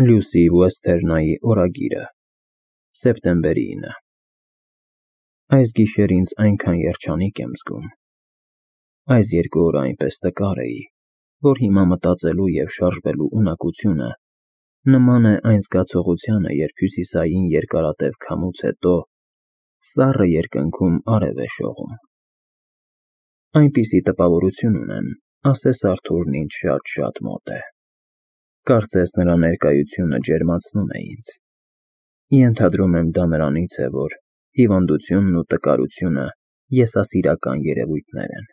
Լյուսի Ուեսթերնայի օրագիրը, սեպտեմբերի 9։ Այս գիշեր ինձ այնքան երջանիկ եմ զգում։ Այս 2 օրը այնպես տկար էի, որ հիմա մտածելու և շարժվելու ունակությունը նման է այն զգացողությանը, երբ հյուսիսային երկարատև քամուց հետո սառը երկնքում արև է շողում։ Այնպիսի տպավորություն ունեմ, ասես Արթուրն ինձ շատ մոտ է։ Կարծես նրա ներկայությունը ջերմացնում է ինձ։ Ենթադրում եմ դա նրանից է, որ հիվանդությունն ու տկարությունը եսասիրական երևույթներ են,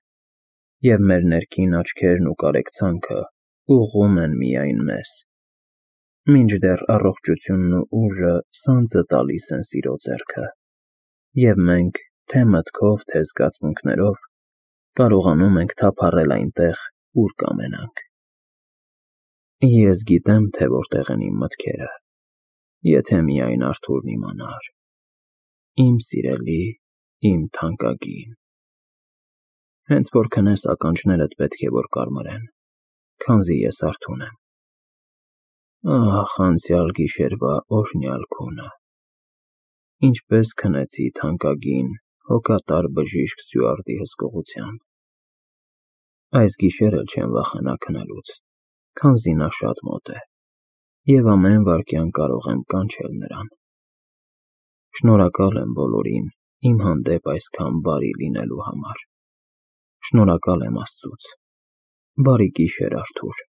և մեր ներքին աչքերն ու կարեկցանքը ուղղում են միայն մեզ, մինչդեռ առողջությունն ու ուժը սանձը տալիս են սիրո ձեռքը, և մենք թե մտքով, թե զգացմունքներով կարողանում ենք թափառել այնտեղ, ուր կամենանք։ Ես գիտեմ, թե որտեղ են իմ մտքերը, եթե միայն Արթուրն իմանար, իմ սիրելի, իմ թանկագին։ Հենց որ քնես, ականջներդ պետք է որ կարմրեն, քանզի ես արթուն եմ։ Ահ, անցյալ գիշերվա օրհնյալ քունը։ Ինչպես քնեցի թանկագին, հոգատար բժիշկ Սյուարտի հսկողությամբ։ Այս գիշեր էլ չեմ վախենա քնելուց, քանզի նա շատ մոտ է, և ամեն վայրկյան կարող եմ կանչել նրան։ Շնորհակալ եմ բոլորին իմ հանդեպ այսքան բարի լինելու համար։ Շնորհակալ եմ Աստծուց։ Բարի գիշեր, Արթուր։